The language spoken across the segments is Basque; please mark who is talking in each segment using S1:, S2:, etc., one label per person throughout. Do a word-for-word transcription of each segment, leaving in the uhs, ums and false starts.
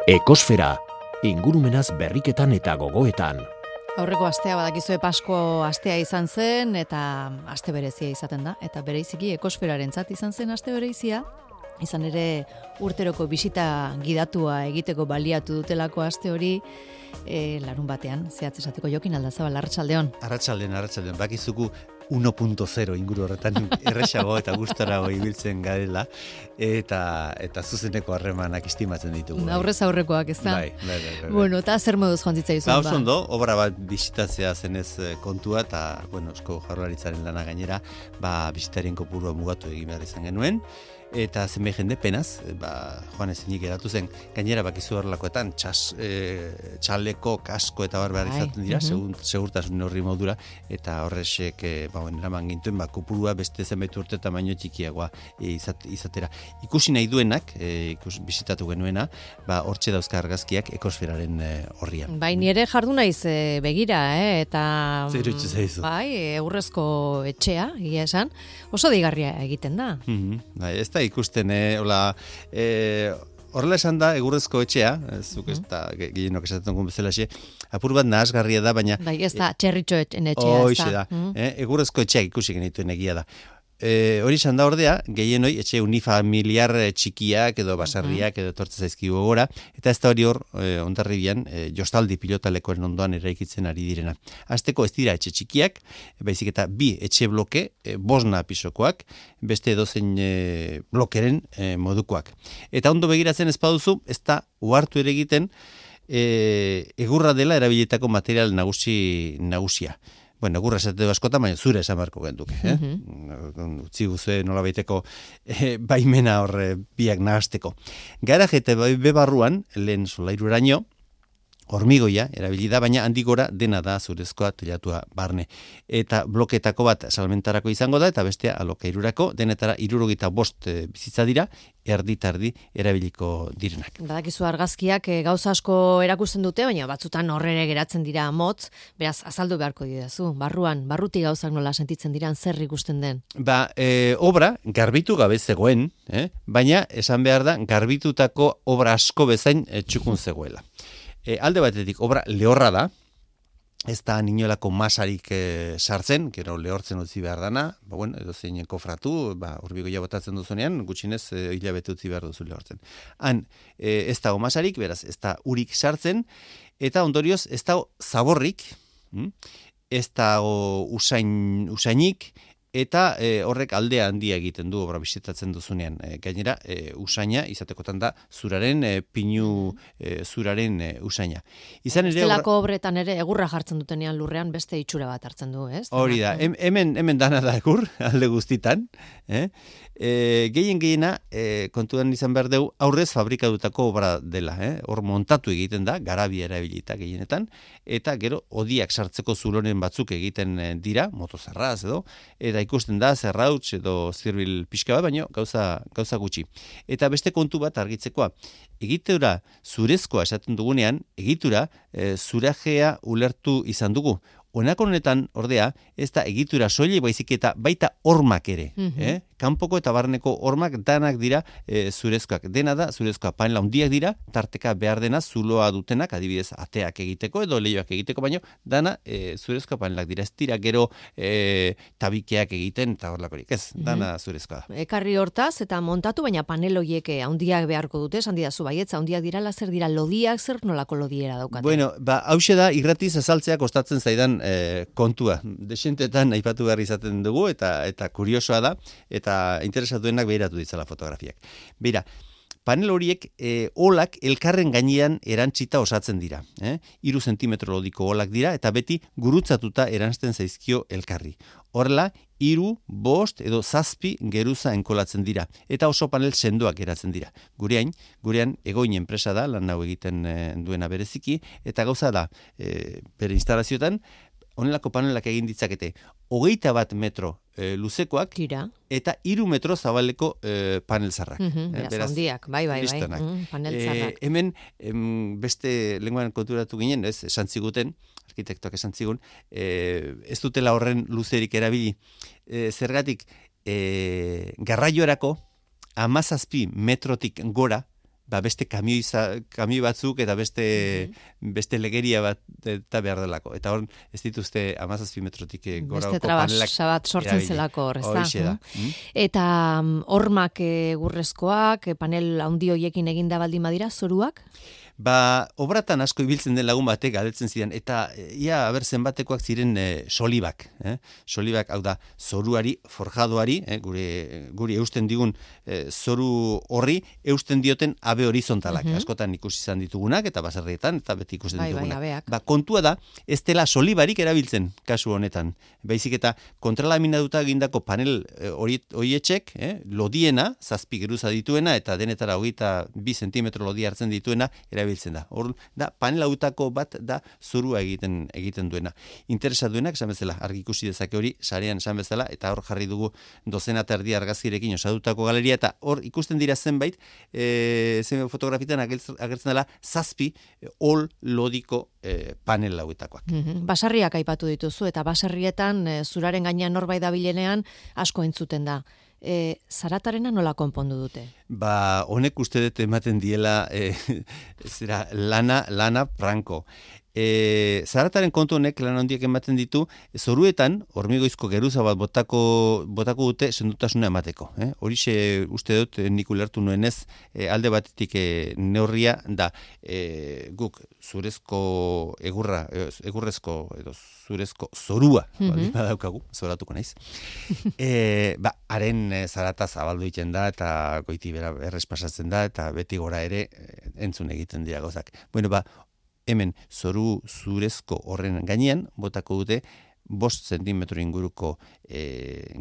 S1: Ekosfera, ingurumenaz berriketan eta gogoetan.
S2: Aurreko astea badakizue Pasko astea izan zen eta aste berezia izaten da. Eta bereiziki ekosferarentzat izan zen aste berezia. Izan ere urteroko bisita gidatua egiteko baliatu dutelako aste hori e, larun batean. Zehatz esateko Jokin Aldazabal, arratsaldeon.
S3: Arratsaldeon, arratsaldeon. Bakizuku uno punto cero inguru horretan erresago eta gustarago ibiltzen garela eta eta zuzeneko harremanak estimatzen ditugu.
S2: Aurrez aurrekoak, ez da?
S3: Bai, bai, bai, bai.
S2: Bueno, eta zer moduz joan zitzaizun
S3: ba?
S2: ba?
S3: Oso ondo, obra bat bisitatzea zenez kontua eta, bueno, Eusko Jaurlaritzaren lana gainera, ba, bisitarien kopurua mugatu egin behar izan genuen. Eta zenbait jende penaz, ba, joan ezinik geratu zen, gainera bakizu horrelakoetan, txas, e, txaleko, kasko eta bar behar izaten dira, segun, segurtasun horri modura, eta horrexek, e, ba, bueno, eraman gintuen, ba, kopurua beste zenbait urte eta baino txikiagoa e, izat, izatera. Ikusi nahi duenak, e, ikus, bisitatu genuena, ba, hortxe dauzka argazkiak ekosferaren e, horrian.
S2: Bai, nire jardu naiz e, begira, eh, eta...
S3: Zer utzi zaizu.
S2: Bai, eurrezko etxea, egia esan, oso deigarria egiten da.
S3: Mm-hmm. Bai, ez da ikusten, eh, hola, eh, horrela esan da, egurrezko etxea, zuk ez da, gehienok esaten dugun bezalaxe, apur bat nahasgarria da, baina...
S2: Bai, ez da, txerritxo etxea, ez da.
S3: Hoixe da, eh, egurrezko etxeak ikusi genituen egia da. E, hori izan da ordea, gehienoi etxe unifamiliar txikiak edo basarriak edo tortze zaizkigu gora, eta ez da hori hor e, ondarribian e, jostaldi pilotalekoen ondoan eraikitzen ari direna. Azteko ez dira etxe txikiak, baizik eta bi etxe bloke, e, bosna pisokoak, beste edozein e, blokeren e, modukoak. Eta ondo begiratzen ez baduzu, ez da uhartu ere egiten e, egurra dela erabilietako material nagusi nagusia. Bueno, gurra esateko askotan, baina zure esan beharko genduke. Eh? Mm-hmm. Utzi guzue nola baiteko eh, baimena horre biak nahasteko. Garaje eta bebarruan, lehen solairuraino, hormigoia erabili da, baina handik gora dena da zurezkoa telatua barne. Eta bloketako bat salmentarako izango da, eta bestea alokairurako, denetara hirurogeita bost e, bizitza dira, erdi-tardi erabiliko direnak.
S2: Badakizu argazkiak e, gauza asko erakusten dute, baina batzutan horrere geratzen dira motz, beraz azaldu beharko didazu. Barruan, barruti gauzak nola sentitzen diran, zer ikusten den?
S3: Ba, e, obra garbitu gabe zegoen, eh? Baina esan behar da, garbitutako obra asko bezain e, txukun zegoela. E, alde batetik, obra lehorra da, ez da ninolako masarik e, sartzen, gero lehortzen utzi behar dana, ba, bueno, edo zein kofratu, ba, urbigoia botatzen duzunean, gutxinez e, hilabete utzi behar duzu lehortzen. Han, e, ez dago masarik, beraz, ez da urik sartzen, eta ondorioz, ez dago zaborrik, hm? Ez dago usain, usainik, eta e, horrek aldea handia egiten du obra bisitatzen duzunean. E, gainera, e, usaina, izatekotan da, zuraren, e, pinu e, zuraren e, usaina. Izan ere...
S2: Estelako obretan ere, egurra jartzen dutenean lurrean beste itxura bat hartzen du, ez?
S3: Hori da, hemen, hemen dana da egur, alde guztitan. Eh? E, gehien gehiena, e, kontuan izan behar dugu, aurrez fabrikatutako obra dela. Eh? Hor montatu egiten da, garabia erabilita gehienetan, eta gero, odiak sartzeko zulonen batzuk egiten dira, motozarraz edo, eta ikusten da, zerrauts edo zirbil pixka bat, baino gauza, gauza gutxi. Eta beste kontu bat argitzekoa, egitura zurezkoa esaten dugunean, egitura e, zurajea ulertu izan dugu. Honako honetan, ordea, ez da egitura soilik baizik eta baita hormak ere. Mm-hmm. eh? Kanpoko eta barneko hormak danak dira e, zurezkoak. Dena da, zurezkoa panela handiak dira, tarteka behar dena zuloa dutenak, adibidez ateak egiteko edo leioak egiteko, baino dana e, zurezkoa panelak dira. Ez dira gero e, tabikeak egiten eta horlakorik. Ez, dana mm-hmm. zurezkoa da.
S2: Ekarri hortaz eta montatu, baina paneloiek handiak beharko dute, esan didazu baietza, handiak dirala, zer dira lodiak, zer nolako lodiera daukate?
S3: Bueno, ba, hause da, irratiz azaltzea kostatzen zaidan E, kontua. Desentetan aipatu behar izaten dugu eta eta kuriosoa da eta interesatuenak behiratu ditzala fotografiak. Beira, panel horiek e, olak elkarren gainean erantzita osatzen dira. Eh? Iru zentimetro lodiko olak dira eta beti gurutzatuta erantzten zaizkio elkarri. Horrela, hiru, bost edo zazpi geruza enkolatzen dira eta oso panel sendoak geratzen dira. Gurean, gurean egoin enpresa da, lan hau egiten e, duena bereziki, eta gauza da, e, bere instalazioetan, honelako panelak egin ditzakete, hogeita bat metro e, luzekoak,
S2: Tira.
S3: eta hiru metro zabaleko e, panel zarrak.
S2: Mm-hmm, beraz, beraz handiak, bai, bai, bai. Mm, panel zarrak. E,
S3: hemen, em, beste lenguan konturatu ginen, ez, esan ziguten, arkitektoak esan zigun, e, ez dutela horren luzerik erabili. E, zergatik, e, garraioerako, hamazazpi metrotik gora, ba beste kamioi, kamioi batzuk eta beste, mm-hmm. beste legeria bat eta behar delako. Eta hor, ez dituzte hamazazpi metrotik gora
S2: beste trabasa bat sortzen erabili. Zelako hor, ez da?
S3: Hoixe da. Mm?
S2: Eta hormak egurrezkoak, panel handi hoiekin eginda baldin badira, zoruak?
S3: Ba, obratan asko ibiltzen den lagun batek galdetzen zidan, eta ia, aber zenbatekoak ziren e, solibak. Eh? Solibak, hau da, zoruari, forjadoari, eh? gure, guri eusten digun e, zoru horri, eusten dioten abe horizontalak. Mm-hmm. Askotan ikusi izan ditugunak, eta baserrietan, eta beti ikusten
S2: bai,
S3: ditugunak.
S2: Bai,
S3: ba, kontua da, ez dela solibarik erabiltzen, kasu honetan. Baizik eta kontralaminaduta egindako panel horietxek, eh? lodiena, zazpi geruza dituena, eta denetara hogeita bi zentimetro lodi hartzen dituena, erabiltzen da. Hor da panel hautako bat da zurua egiten egiten duena. Interesa duenak esan bezala argi ikusi dezake hori sarean esan bezala eta hor jarri dugu dozena eta erdi argazkirekin osatutako galeria eta hor ikusten dira zenbait eh zenbait fotografitan agertzen dela zazpi ol lodiko eh, panel hauetakoak.
S2: Mm-hmm. Basarriak aipatu dituzu eta baserrietan e, zuraren gainean norbait dabilenean asko entzuten da. E, zaratarena nola konpondu dute?
S3: Ba, honek uste dut ematen diela e, zera, lana, lana franko. E, zarataren kontu honek lan handiak ematen ditu, zoruetan, hormigoizko geruza bat botako, botako dute sendutasuna emateko. Eh? Horixe uste dut nik ulertu nuenez, e, alde batetik e, neurria da, e, guk zurezko egurra, egurrezko edo zurezko zorua, mm-hmm. baldin badaukagu, zoratuko naiz. e, ba, haren e, zarata zabaldu egiten da, eta goiti bera errespasatzen da, eta beti gora ere e, entzun egiten dira gauzak. Bueno, ba, hemen zoru zurezko horren gainean, botako dute, bost zentimetro inguruko e,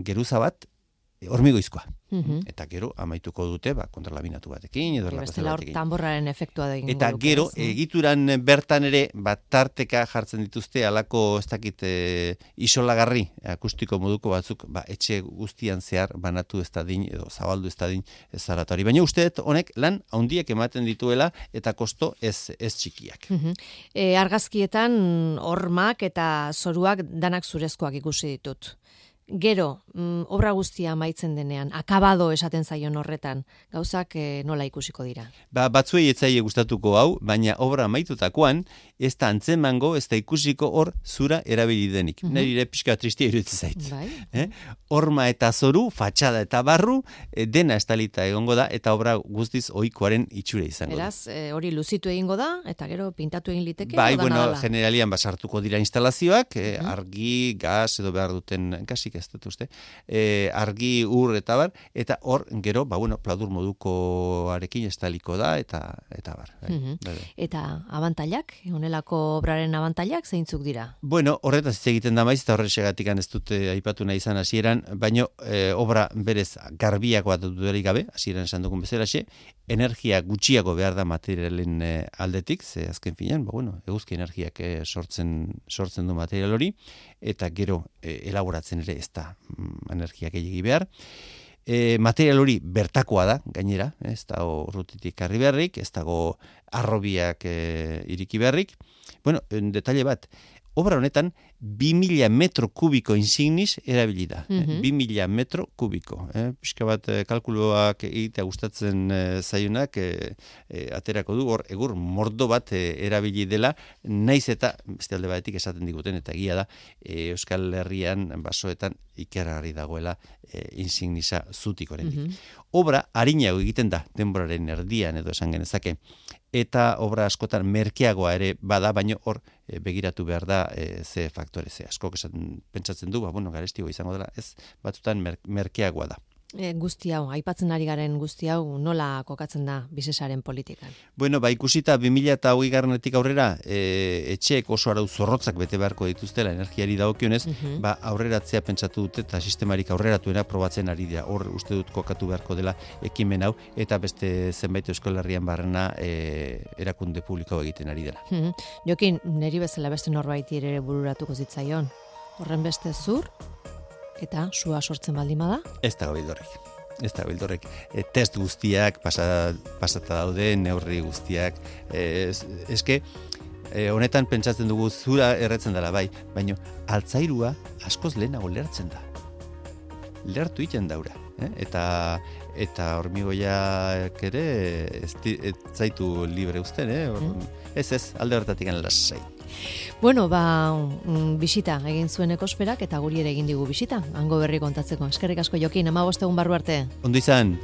S3: geruza bat, e, hormigoizkoa. Mm-hmm. Eta gero, amaituko dute, ba, kontralaminatu batekin, edo
S2: erlapazio batekin. Bestela hor tamborraren efektua da egin.
S3: Eta gero, ez, egituran bertan ere, bat tarteka jartzen dituzte, alako, ez dakit, e, isolagarri, akustiko moduko batzuk, ba, etxe guztian zehar, banatu ez dadin, edo zabaldu ez dadin, zaratari. Baina uste dut, honek, lan, handiak ematen dituela, eta kosto ez, ez txikiak.
S2: Mm-hmm. e, argazkietan, hormak eta zoruak danak zurezkoak ikusi ditut. Gero, mm, obra guztia amaitzen denean, akabado esaten zaion horretan, gauzak e, nola ikusiko dira? Ba,
S3: batzuei etzaile gustatuko hau, baina obra amaitutakoan, ez da antzemango, ez da ikusiko hor zura erabili denik. Mm-hmm. Neri ere pixka tristia iruditzen zait.
S2: Bai.
S3: Eh? Horma eta zoru, fatxada eta barru, e, dena estalita egongo da, eta obra guztiz ohikoaren itxura izango
S2: Eraz, da. Beraz, hori luzitu egingo da, eta gero pintatu egin liteke?
S3: Bai, bueno, generalian basartuko dira instalazioak, e, mm-hmm. argi, gas, edo behar duten, gasik ez dut uste, e, argi, ur, eta bar, eta hor, gero, ba, bueno, pladur modukoarekin estaliko da, eta eta bar. Bai,
S2: mm-hmm. bai. Eta abantailak, honelako obraren abantailak, zeintzuk dira?
S3: Bueno, horretaz hitz egiten da maiz, eta horrexegatik ez dute aipatu nahi izan hasieran, baino e, obra berez garbiak bat dudarik gabe, hasieran esan dugun bezalaxe, energia gutxiago behar da materialen e, aldetik, ze azken finean, ba, bueno, eguzki energiak e, sortzen, sortzen du material hori, eta gero e, elaboratzen ere ez da mm, energia gehiagi behar. E, material hori bertakoa da, gainera, ez dago rutitik karri beharrik, ez dago arrobiak e, iriki beharrik. Bueno, detalle bat, obra honetan, bi mila metro kubiko insignis erabili da. Mm-hmm. bi mila metro kubiko. Eh? Piska bat eh, kalkuloak egitea gustatzen eh, zaiunak eh, eh, aterako du, hor egur mordo bat eh, erabili dela, naiz eta, beste alde batetik esaten diguten, eta egia da, eh, Euskal Herrian, basoetan, ikeragarri dagoela eh, insignisa zutik orendik. Mm-hmm. Obra harinago egiten da, denboraren erdian edo esan genezake, eta obra askotan merkeagoa ere bada, baino hor e, begiratu behar da e, ze faktore, ze askok esaten pentsatzen du, ba, bueno, garestigo izango dela, ez batzutan mer, merkeagoa da.
S2: E, guzti hau, aipatzen ari garen guzti hau, nola kokatzen da Visesaren politikan?
S3: Bueno, ba, ikusita bi mila hogei garrenetik aurrera, e, etxeek oso arau zorrotzak bete beharko dituztela energiari dagokionez, uh-huh. ba, aurreratzea pentsatu dute eta sistemarik aurreratuena probatzen ari dira. Hor uste dut kokatu beharko dela ekimen hau, eta beste zenbait Euskal Herrian barrena e, erakunde publiko egiten ari dela.
S2: Uh-huh. Jokin, neri bezala beste norbaiti ere bururatuko zitzaion. Horren beste zur, eta sua sortzen baldin bada?
S3: Ez da bildorrek. Ez da bildorrek. E, test guztiak pasa, pasata daude, neurri guztiak. E, eske, e, honetan pentsatzen dugu zura erretzen dela bai, baina altzairua askoz lehenago lertzen da. Lertu iten daura. Eh? Eta eta hormigoiak ere ez, ez zaitu libre uzten, eh? Mm. Ez ez, alde horretatik lasai.
S2: Bueno, ba, mm, bisita egin zuen ekosferak eta guri ere egin digu bisita, hango berri kontatzeko. Eskerrik asko Jokin, hamabost egun barru arte.
S3: Ondo izan.